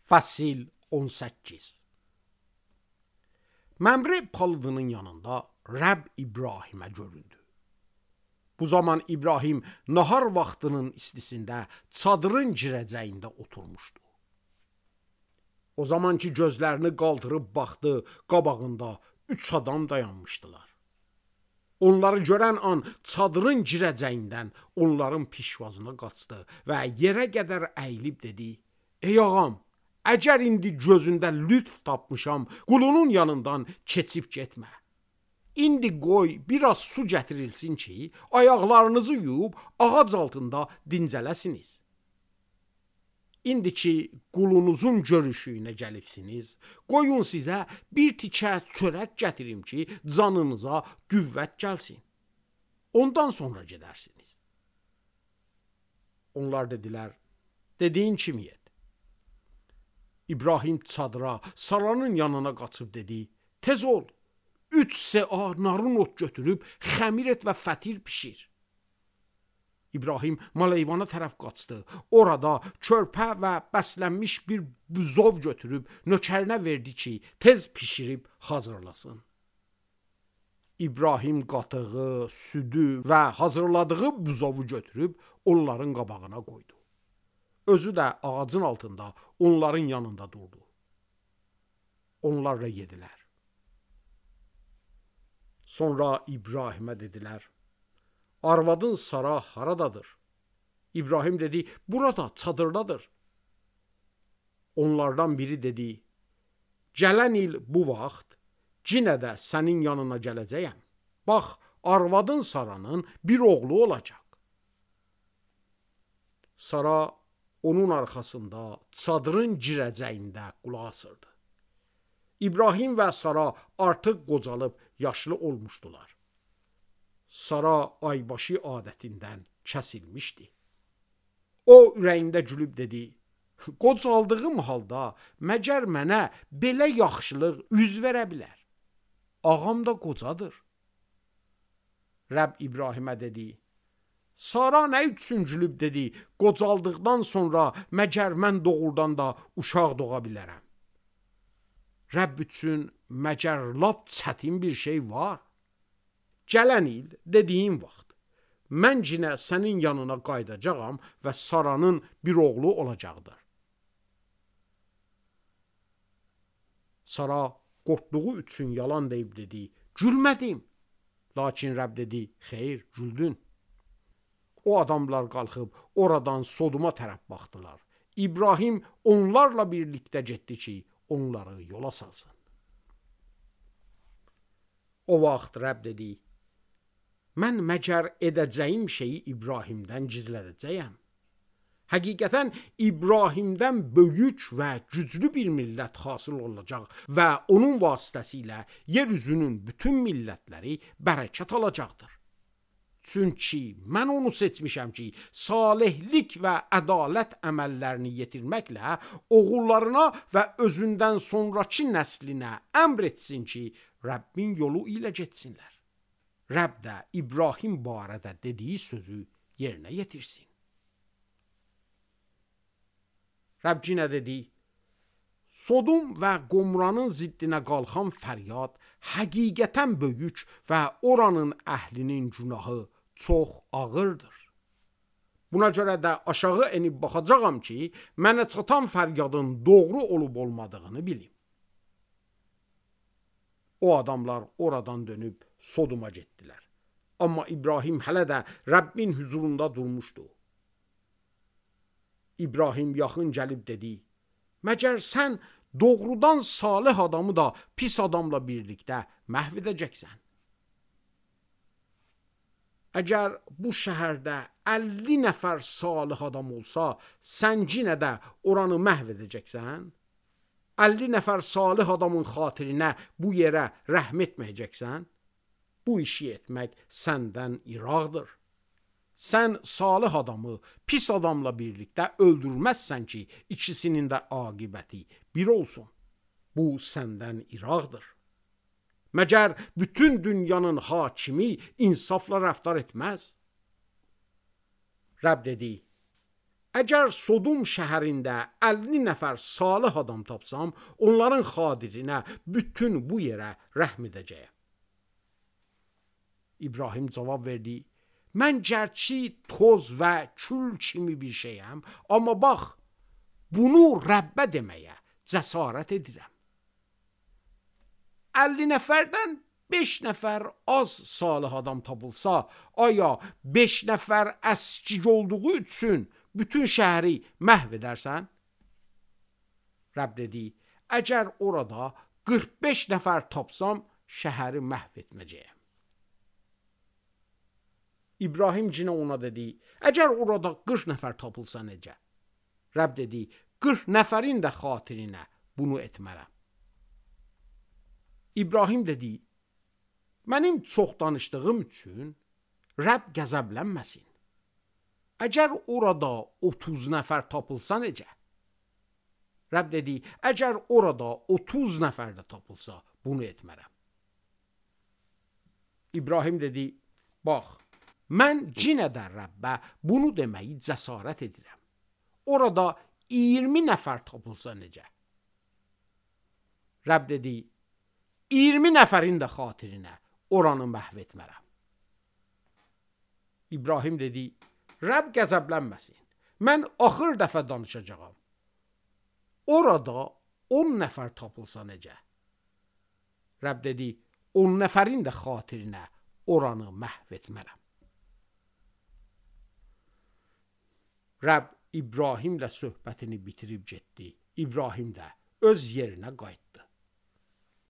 Fəsil 18. Məmrə palıdının yanında Rəbb İbrahimə göründü. Bu zaman İbrahim nahar vaxtının istisində çadırın girəcəyində oturmuşdu. O zaman ki gözlərini qaldırıb baxdı, qabağında 3 adam dayanmışdılar. Onları görən an çadırın girəcəyindən onların pişvazına qaçdı və yerə qədər əyilib dedi: "Ey ağam, əgər indi gözündə lütf tapmışam, qulunun yanından keçib getmə. İndi qoy biraz su gətirilsin ki, ayaqlarınızı yuyub ağac altında dincələsiniz. İndi ki qulunuzun görüşüyünə gəlibsiniz, qoyun sizə bir tikə çörək gətirim ki, canınıza qüvvət gəlsin. Ondan sonra gedərsiniz." Onlar dedilər: "Dediyin kimi et." İbrahim çadıra, Saranın yanına qaçıb dedi: "Tez ol, 3 sə'a narın ot götürüb xəmir et və fətir pişir." İbrahim maleyvana tərəf qaçdı. Orada körpə və bəslənmiş bir buzov götürüb nökərinə verdi ki, tez pişirib hazırlasın. İbrahim qatığı, südü və hazırladığı buzovu götürüb onların qabağına qoydu. Özü də ağacın altında onların yanında durdu. Onlarla yedilər. Sonra İbrahimə dedilər: "Arvadın Sara haradadır?" İbrahim dedi: "Burada, çadırdadır." Onlardan biri dedi: "Gələn il bu vaxt yenə də sənin yanına gələcəyəm. Bax, arvadın Saranın bir oğlu olacaq." Sara onun arxasında çadırın girəcəyində qulaq asırdı. İbrahim və Sara artıq qocalıb yaşlı olmuşdular. Sara aybaşı adətindən kəsilmişdi. O ürəyində gülüb dedi: "Qocaldığım halda məgər mənə belə yaxşılıq üz verə bilər? Ağam da qocadır." Rəbb İbrahimə dedi: "Sara nə üçün gülüb dedi, qocaldıqdan sonra məgər mən doğrudan da uşaq doğa bilərəm? Rəbb üçün məgər lap çətin bir şey var? Gələn il dediyin vaxt mən yenə sənin yanına qayıdacağam və Saranın bir oğlu olacaqdır." Sara qorxduğu üçün yalan deyib dedi: "Gülmədim." Lakin Rəbb dedi: "Xeyr, güldün." O adamlar qalxıb oradan Sodoma tərəf baxdılar. İbrahim onlarla birlikdə getdi ki, onları yola salsın. O vaxt Rəbb dedi: "Mən məgər edəcəyim şeyi İbrahimdən gizlədəcəyəm? Həqiqətən İbrahimdən böyük və güclü bir millət hasıl olacaq və onun vasitəsilə yer üzünün bütün millətləri bərəkət alacaqdır. Çünki mən onu seçmişəm ki, salihlik və ədalət əməllərini yetirməklə oğullarına və özündən sonraki nəslinə əmr etsin ki, Rəbbin yolu ilə getsinlər. Rəbb də İbrahim barədə dediyi sözü yerinə yetirsin." Rəbb yenə dedi: "Sodom və Qomranın ziddinə qalxan fəryad həqiqətən böyük və oranın əhlinin günahı çox ağırdır. Buna görə də aşağı enib baxacağam ki, mənə çatan fəryadın doğru olub olmadığını bilim." O adamlar oradan dönüb Sodoma getdilər. Amma İbrahim hələ də Rəbbin huzurunda durmuşdu. İbrahim yaxın gəlib dedi: "Məgər sən doğrudan salih adamı da pis adamla birlikdə məhv edəcəksən? Əgər bu şəhərdə 50 nəfər salih adam olsa, sən yenə də oranı məhv edəcəksən? 50 nəfər salih adamın xatirinə bu yerə rəhm etməyəcəksən? Bu işi etmək səndən iraqdır. Sən salih adamı pis adamla birlikdə öldürməzsən ki, ikisinin də aqibəti bir olsun. Bu səndən iraqdır. Məgər bütün dünyanın hakimi insafla rəftar etməz?" Rəbb dedi: Əgər Sodom şəhərində 50 nəfər salih adam tapsam, onların xatirinə bütün bu yerə rəhm edəcəyəm. İbrahim cavab verdi: Mən gərçi toz və kül kimi bir şeyəm, amma bax, bunu Rəbbə deməyə cəsarət edirəm. 50 nəfərdən 5 nəfər az salih adam tapılsa, aya 5 nəfər əskik olduğu üçün bütün şəhəri məhv edərsən? Rəbb dedi: Əgər orada 45 nəfər tapsam, şəhəri məhv etməyəcəyəm. İbrahim cinə ona dedi: Əgər orada 40 nəfər tapılsa necə? Rəbb dedi: 40 nəfərin də xatirinə bunu etmərəm. İbrahim dedi: Mənim çox danışdığım üçün Rəbb qəzəblənməsin. Əgər orada 30 nəfər tapılsa necə? Rəbb dedi: Əgər orada 30 nəfər də tapılsa, bunu etmərəm. İbrahim dedi: Bax, mən cinə də Rəbbə bunu deməyi cəsarət edirəm. Orada 20 nəfər tapılsa necə? Rəbb dedi: 20 nəfərin də xatirinə oranı məhv etmərəm. İbrahim dedi: Rəbb qəzəblənməsin. Mən axır dəfə danışacağam. Orada 10 nəfər tapılsa necə? Rəbb dedi: 10 nəfərin də xatirinə oranı məhv etmərəm. Rəbb İbrahimlə söhbətini bitirib getdi. İbrahim də öz yerinə qayıtdı.